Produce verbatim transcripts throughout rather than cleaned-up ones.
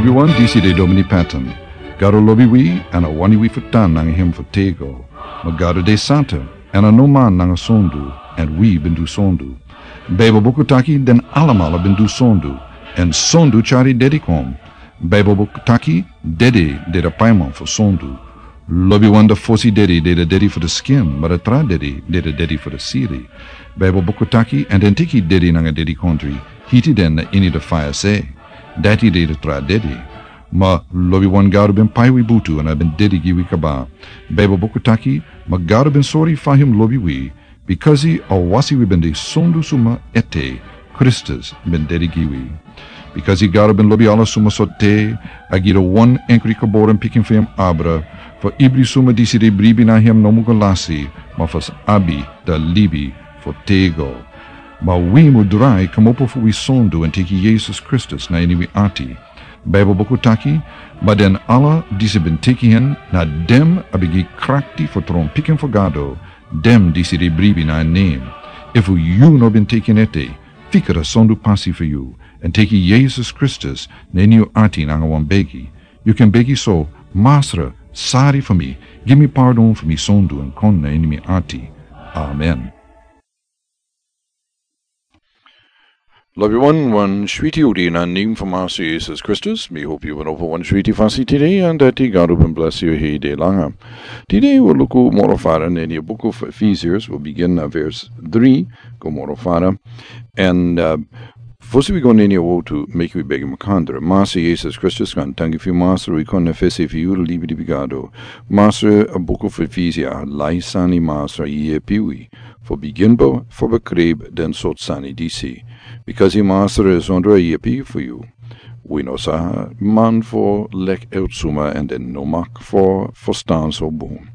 Wi wan disi de Domini Patton. Gado lobi wi, èn a wani wi fu tan nanga hem fu tego. Ma Gado de santa, èn a no man nanga sondu, èn wi ben du sondu. Baibel buku taki den alamala ben du sondu, èn sondu tyari dedi kon. Baibel buku taki dedi de de paiman fu sondu. Lobi wan de fosi dedi de de dedi fu de skin, ma de tra dedi de de dedi fu de siri. Baibel buku taki, èn den tiki dedi nanga dedi kondri, hiti den na ini de faya se. Dati de de tra dedi. Ma lobi wan Gado ben pai wi butu èn a ben dedi gi wi kaba. Baibel buku taki, ma Gado ben sori fa hem lobi wi, bikasi a wasi wi ben de sondu suma ete, Kristus ben dedi gi wi. Bikasi Gado ben lobi ala suma so te, a gi de wan enkri geboren pikin fu hem abra, fu ibri suma disi de bribi na hem no mu go lasi, ma fu abi de libi fu tego. Ma wi mu drai kmopo fu wi sondu èn teki Yesus Kristus na ini wi ati. Baibel buku taki, ma den ala disi ben teki hen, na dem a ben gi krakti fu tron pikin fu Gado, dem disi de bribi na en nen. Efu yu no ben teki en ete, fika de sondu pasi fu yu, èn teki Yesus Kristus na ini yu ati nanga wan begi. Yu kan begi so, Masra, sari fu mi, gi mi pardon fu mi sondu èn kon na ini mi ati. Amen. Lobi wan, wan switi odi na nen fu Masra Yesus Kristus. Mi hopi yu ben opo wan switi fasi tide, èn dati Gado ben blesi yu hei de langa. Tide wi luku moro fara na ini buku fu Efesians, wi bigin na vers dri, go moro fara. Èn, uh, fosi wi go na ini a wotu, meki wi begi makandra. Masra Yesus Kristus, kan tangi fu yu Masra, wi kon na fesi fu yu, libi di bigado. Masra, a buku fu Efesians, lai sani Masra yepi wi. Fu bigin bo, fu bekrib den sort sani disi. Bikasi Masra e sondro yepi fu yu. Wi no sa man fu lek uit suma èn den no mak fu, fu stan so bun.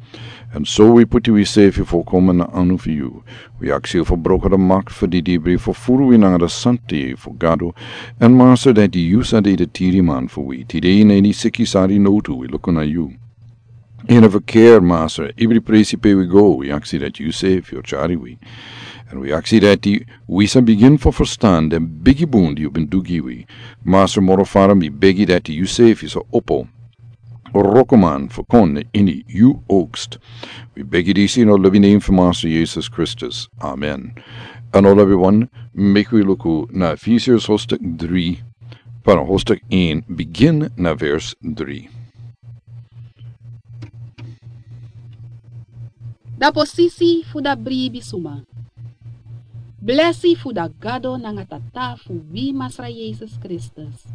Èn so wi puti wi sefi fu komen na anu fu yu. Wi aksi fu broko de mak fu di dibri fu furu wi nanga de santi fu Gado. Èn Masra dati yu sa de de tiri man fu wi. Tide na ini siki sari notu wi luku na yu. Ini a verkeer, Masra, ibri presi pe wi go, wi aksi dati yu sefi o tyari wi. Èn wi aksi dati wi sa bigin fu ferstan den bigi bun di yu ben du gi wi. Masra moro fara mi begi dati yu sefi sa opo. Rokoman fu kon na ini yu oogst. Wi begi disi na lobi nen fu Masra Yesus Kristus. Amen. Èn na lobi wan, meki wi luku na Efesians hoofdstuk dri, para hoofdstuk een, begin na vers drie. Da posisi fu da bribi suma. Blesi fu da Gado nanga Tata fu wi Masra Yesus Kristus.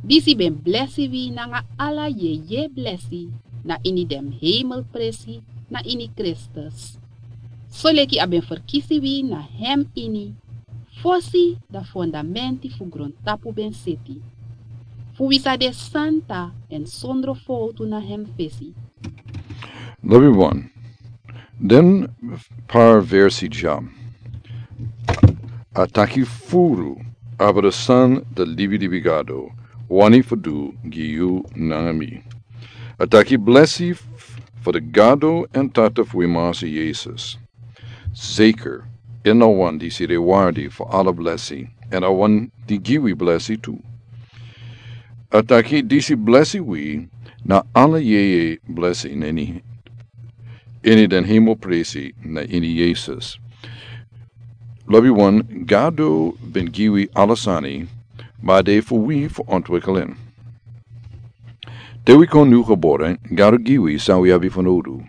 Disi ben blesi wi nanga ala yeye blesi na ini den hemelpresi na ini Kristus. Soleki a ben ferkisi wi na hem ini, fosi da fondamenti fu grontapu ben seti. Fu wi sa de santa èn sondro fowtu na hem fesi. Lobi wan. Den par versi dya. A taki furu, abra san da libi libi Gado, wani fu du gi yu nanga mi. A taki blesi f-, fu da Gado èn Tata fu wi Masra Yesus. Zeker, en na wan disi de wardi fu ala blesi, èn a wan di gi wi blesi tu. A taki disi blesi wi na ala yeye blesi na ini, ini den hemelpresi na ini Yesus. Lobi wan, Gado ben gi wi ala sani, ma a de fu wi fu ontwikkel en. Te wi kon nu geboren, Gado gi wi san wi abi fu nodu.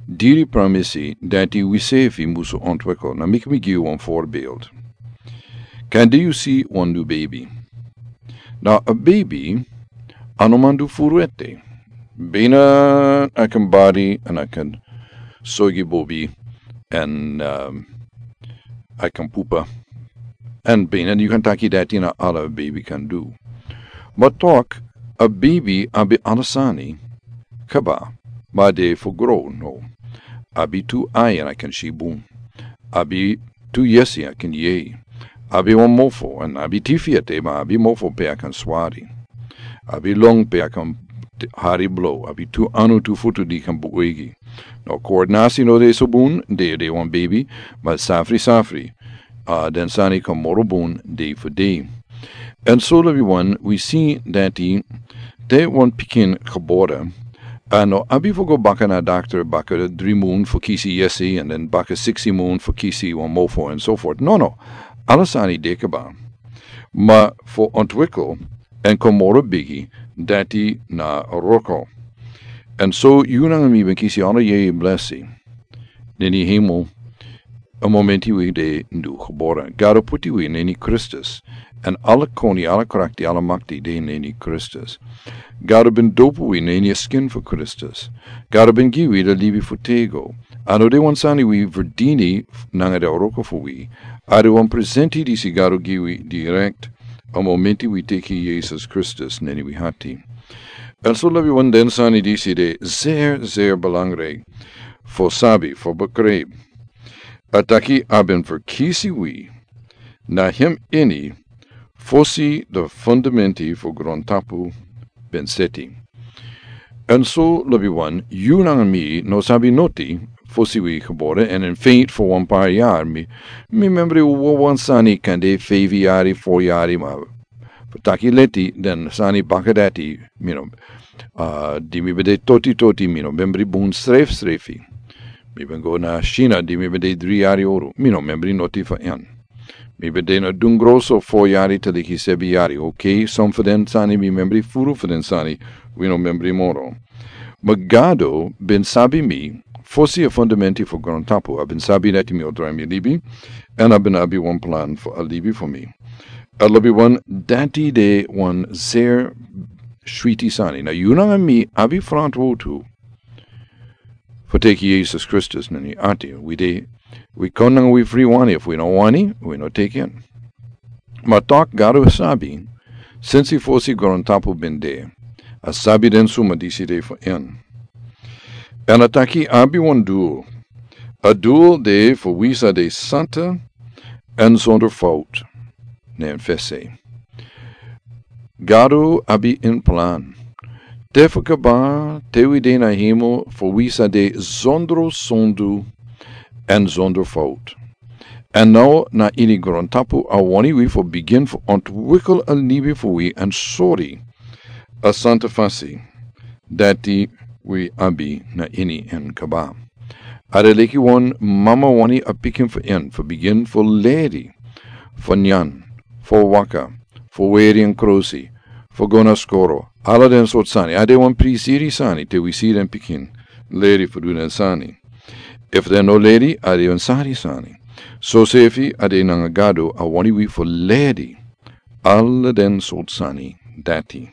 Diri pramisi dati wi sefi musu ontwikkel, na meki mi gi wan voorbeeld. Kan di yu si wan nu baby. Na a baby, a no man du furu ete. Bina a kan bari, èn a kan sogi bobi, èn, ehm, a kan pupa. Èn bina yu kan taki dati na ala baby kan du. Ma tok, a baby abi ala sani, kaba, ma a de fu gro, no. Abi tu ai èn a kan si bun. Abi tu yesi a kan yei. Abi wan mofo, èn abi tifi ete, ma abi mofo pe a kan swari. Abi long pe a kan t-, hari blo. Abi tu anu tu futu di kan buigi. No koordinasi no de so bun, de de wan baby, ma safri safri. A, den sani kan moro bun, de fu de. En so, lobi wan, wi si dati te wan pikin gebore, a no abi fu go baka na dokter baka dri mun fu kisi yesi, en den baka siksi mun fu kisi wan mofo, en so fort. No, no. Ala sani de kaba. Ma fu ontwikkel en kon moro bigi, dati na wroko. En so yu nanga mi ben kisi ala yeye blesi na ini hemel. A momenti wi de nu gebore. Gado puti wi na ini Kristus. En ala koni, ala krakti, ala makti de na ini Kristus. Gado ben dopu wi na ini a skin fu Kristus. Gado ben gi wi a libi fu tego. A no de wan sani wi verdini nanga a wroko fu wi. A de wan presenti disi Gado gi wi direkt a momenti wi teki Yesus Kristus na ini wi hati. En so, lobi wan, den sani disi de zeer, zeer belangrijk fu sabi, fu begrijp. A taki a ben verkisi wi na hem ini fosi de fundamenti fu grontapu ben seti. En so, lobi wan, yu nanga mi no sabi noti fosi wi gebore, en in feite fu wan par yari. Mi, mi membri wan sani kan de feifi yari, fo yari, ma fu taki leti, den sani baka dati, mi no, ah, di mi ben de toti toti, mi no membri bun srefsrefi. Mi ben go na China di mi ben de dri yari oro, mi no membri noti fu en. Mi ben de na Dungro so fo yari te leki sebi yari. Ok, son fu den sani mi membri, furu fu den sani wi no membri moro. Ma Gado ben sabi mi fosi a fundamenti fu grontapu, a ben sabi dati mi o drai mi libi, en a ben abi wan plan fu a libi fu mi. A lobi wan, dati de wan zeer switi sani. Na yu nanga mi abi frantwortu fu teki Yesus Kristus na ini wi ati. Wi de, wi kon nanga wi fri wani, efu wi no wani, wi no teki en. Ma tok Gado sabi, sensi fosi grontapu ben de, a sabi den suma disi de fu en. En a taki a abi wan dul. A dul de fu wi sa de santa en zonder fout. Ne en fesi. Gado abi in plan. Te fu kaba, te wi de na hemel, fu wi sa de zonder sondu en zonder fout. En now na ini grontapu a wani wi fu bigin fu ontwikkel a libi fu wi en sori a santa fasi dati wi abi na ini en kaba. A de leki wan mama wani a pikin fu en fu bigin fu leri, fu nyan, fu waka, fu weri en krosi, fu go na skoro. Ala den sortu sani. A de wan prisiri sani te wi si den pikin leri fu du den sani. Efu den no leri, a de wan sari sani. Sosefi a de nanga Gado a wani wi fu leri ala den sortu sani dati.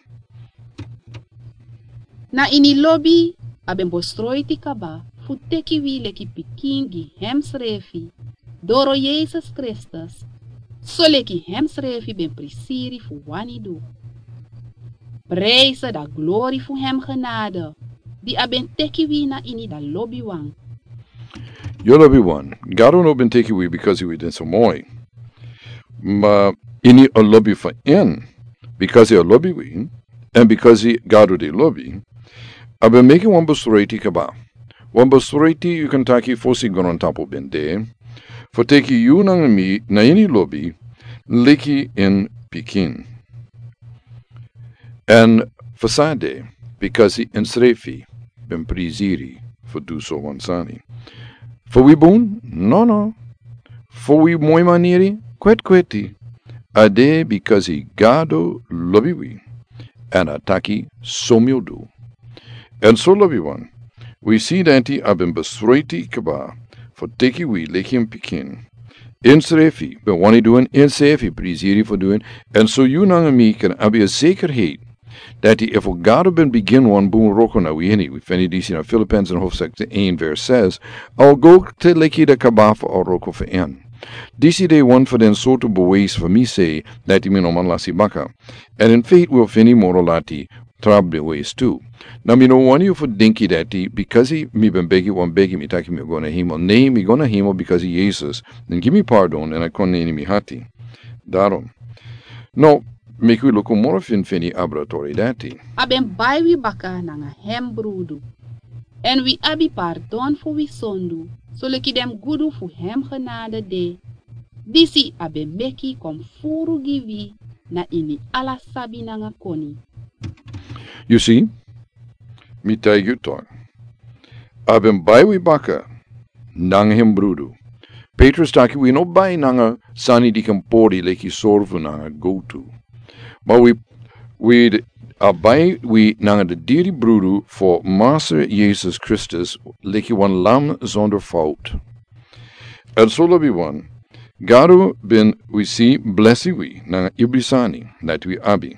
Na ini lobi a ben besroiti kaba fu teki wi leki pikin gi hemsrefi, doro Yesus Kristus, soleki hemsrefi ben prisiri fu wani du. Prijs dan glori fu hem genade, di a ben teki wi na ini dan lobi wan. Yu lobi wan, Gado no ben teki wi because wi den so moi. Ma ini a lobi fu en, because a lobi wi, en because Gado de lobi, a ben meki wan besroiti kaba. Wan besroiti yu kan taki fosi grontapu ben de, fu teki yu nanga mi na ini lobi, leki en pikin. En fu san de, because ensrefi ben prisiri fu du so wan sani. Fu wi bun? No, no. Fu wi moi maniri? Kwetkweti. A de because Gado lobi wi. En a taki so mi o du. En so lobi wan, wi si dati a ben besroiti kaba fu teki wi leki en pikin. Ensrefi ben wani du en, ensrefi prisiri fu du en. En so yu nanga mi kan abi a zekerheid dati efu Gado ben bigin wan bun wroko na wi ini, wi feni disi na Filippenzen hoofdstuk een vers zes, a o go te leki dan kaba fu a wroko fu en. Disi de wan fu den sortu bewijs fu mi sei dati mi no man lasi baka. En in feite wi o feni moro lati tra bewijs tu. Na mi no wani yu fu denki dati because mi ben begi wan begi mi taki mi o go na hemel. Ne, mi go na hemel because Yesus ben gi mi pardon en a kon na ini mi hati. Daarom. No, meki wi luku moro finfini abra tori dati. A ben bai wi baka nanga hem brudu. En wi abi pardon fu wi sondu, soleki den gudu fu hem genade de. Disi a ben meki kon furu gi wi, na ini ala sabi nanga koni. Yu si, mi taigi yu tok. A ben bai wi baka nanga en brudu. Petrus taki wi no bai nanga sani di kan pori leki sorfu nanga gowtu. Ma wi, wi a bai wi nanga den diri brudu fu Massa Yesus Kristus leki wan lam zonder fout. Èn so lobiwan, Gado ben wi si blesi wi nanga ibri sani dati wi abi.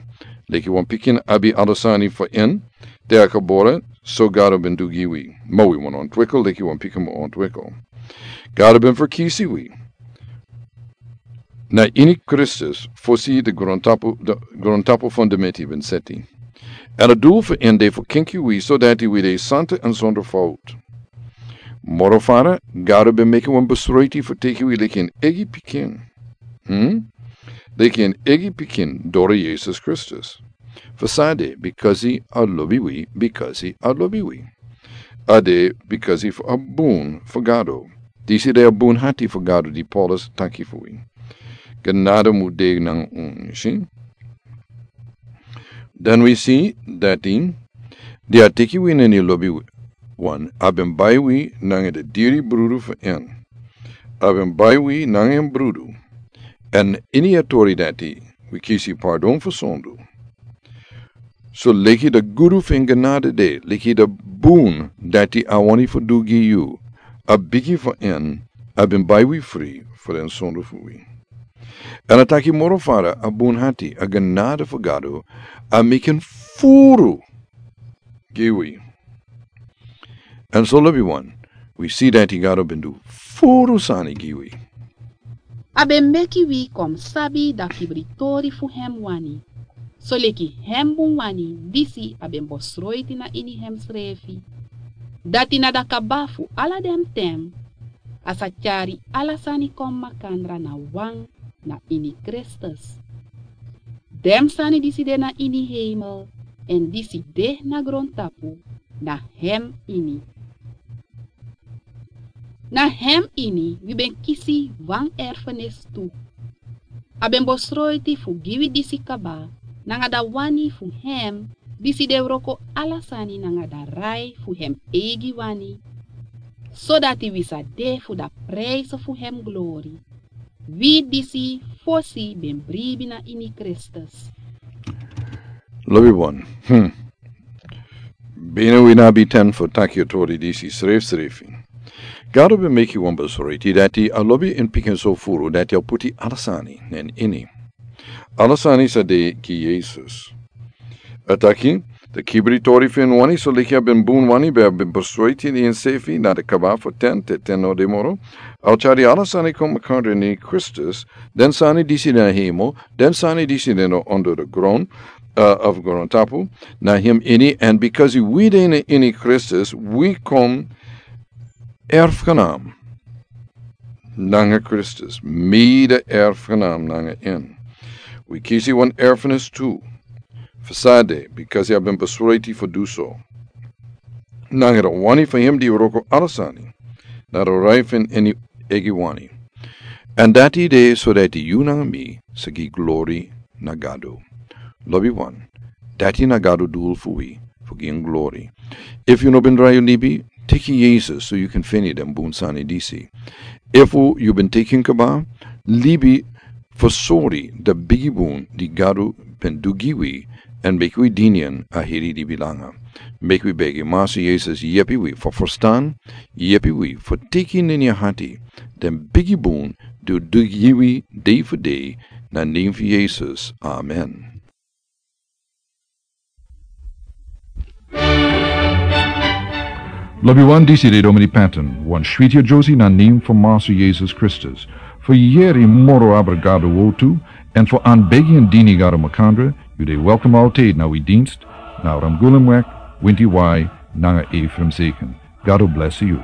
Leki wan pikin abi ala sani fu en, te a kabora, so Gado ben du gi wi. Ma wi wan ontwikkel leki wan pikin mus ontwikkel. Gado ben ferkisi wi na ini Kristus fosi de grontapu, de grontapu fundamenti ben seti. Èn a dul fu en de fu kenki wi so dati wi de santa èn zonder fout. Moro fara, Gado ben meki wan besroiti fu teki wi leki en eigi pikin. Hmm? Leki en eigi pikin doro Yesus Kristus. Fu san de, bikasi a lobi wi, bikasi a lobi wi. A de bikasi fu a bun fu Gado. Disi de a bun hati fu Gado di Paulus taki fu wi. Genade mus de nanga unu, si. Dan wi si dati, di a teki wi na ini lobiwan, a ben bai wi nanga den diri brudu fu en. A ben bai wi nanga en brudu. Èn ini a tori dati, wi kisi pardon fu sondu. So leki den gudu fu en genade de, leki den bun dati a wani fu du gi yu, a bigi fu en, a ben bai wi fri fu den sondu fu wi. Èn a taki moro fara, a bun hati, a genade fu Gado, a meki en furu gi wi. Èn so lobiwan, wi si dati Gado ben du furu sani gi wi. A ben meki wi kon sabi den kibriteri fu hem wani. So leki hem bun wani, disi a ben besroiti na ini hemsrefi. Dati na den kaba fu ala den ten, a sa tyari ala sani kon makandra na wan na ini Kristus. Den sani disi de na ini heimel, èn disi de na grontapu, na hem ini. Na hem ini wi ben kisi wan erfenis tu. A ben besroiti fu gi wi disi kaba, nanga den wani fu hem, disi de wroko ala sani nanga den rai fu hem eigi wani. Sodati wi sa de fu den prijs fu hem glori. Wi disi fosi ben bribi na ini Kristus. Lobiwan. Hmm. Bina wi no abi ten fu taki a tori disi srefsrefi. Gado ben meki wan besroiti dati a lobi en pikin so furu dati a puti ala sani na en ini. Ala sani sa de gi Yesus. A taki, den kibri tori fu en wani, so leki a ben bun wani, ben a ben besroiti na ensefi, na den kaba fu ten, te ten no de moro. A o tyari ala sani kon makandra na ini Kristus, den sani disi na hemel, den sani disi na under den gron, uh, of grontapu, na hem ini, èn bikasi wi de na ini Kristus, wi kon erfgenaam nanga Kristus, mede erfgenaam nanga en. Wi kisi wan erfenis tu. Fu san de, bikasi a ben besroiti fu du so. Nanga den wani fu hem di wroko ala sani, na den rai fu en eigi wani. Èn dati de sodati yu nanga mi sa gi glori na Gado. Lobiwan, dati na Gado dul fu wi, fu gi en glori. Efu yu no ben rai yu libi, teki Yesus so yu kan feni den bun sani disi. Efu yu ben teki en kaba, libi fu sori den bigi bun di Gado ben du gi wi, èn meki wi dini en a heri libi langa. Meki wi begi Massa Yesus yepi wi fu ferstan, yepi wi fu teki na ini hati den bigi bun di a du gi wi dei fu dei, na nen fu Yesus. Amen. Lobiwan, disi de Domini Patton, wan switi a Josie na nen fu Massa Yesus Kristus. Fu yeri moro abra Gado wortu, èn fu anbegi èn dini Gado makandra, yu de welkom altijd na wi dienst, na Ramgulumweg, Winti Wai, nanga Ephraim Zeken. Gado blesi yu.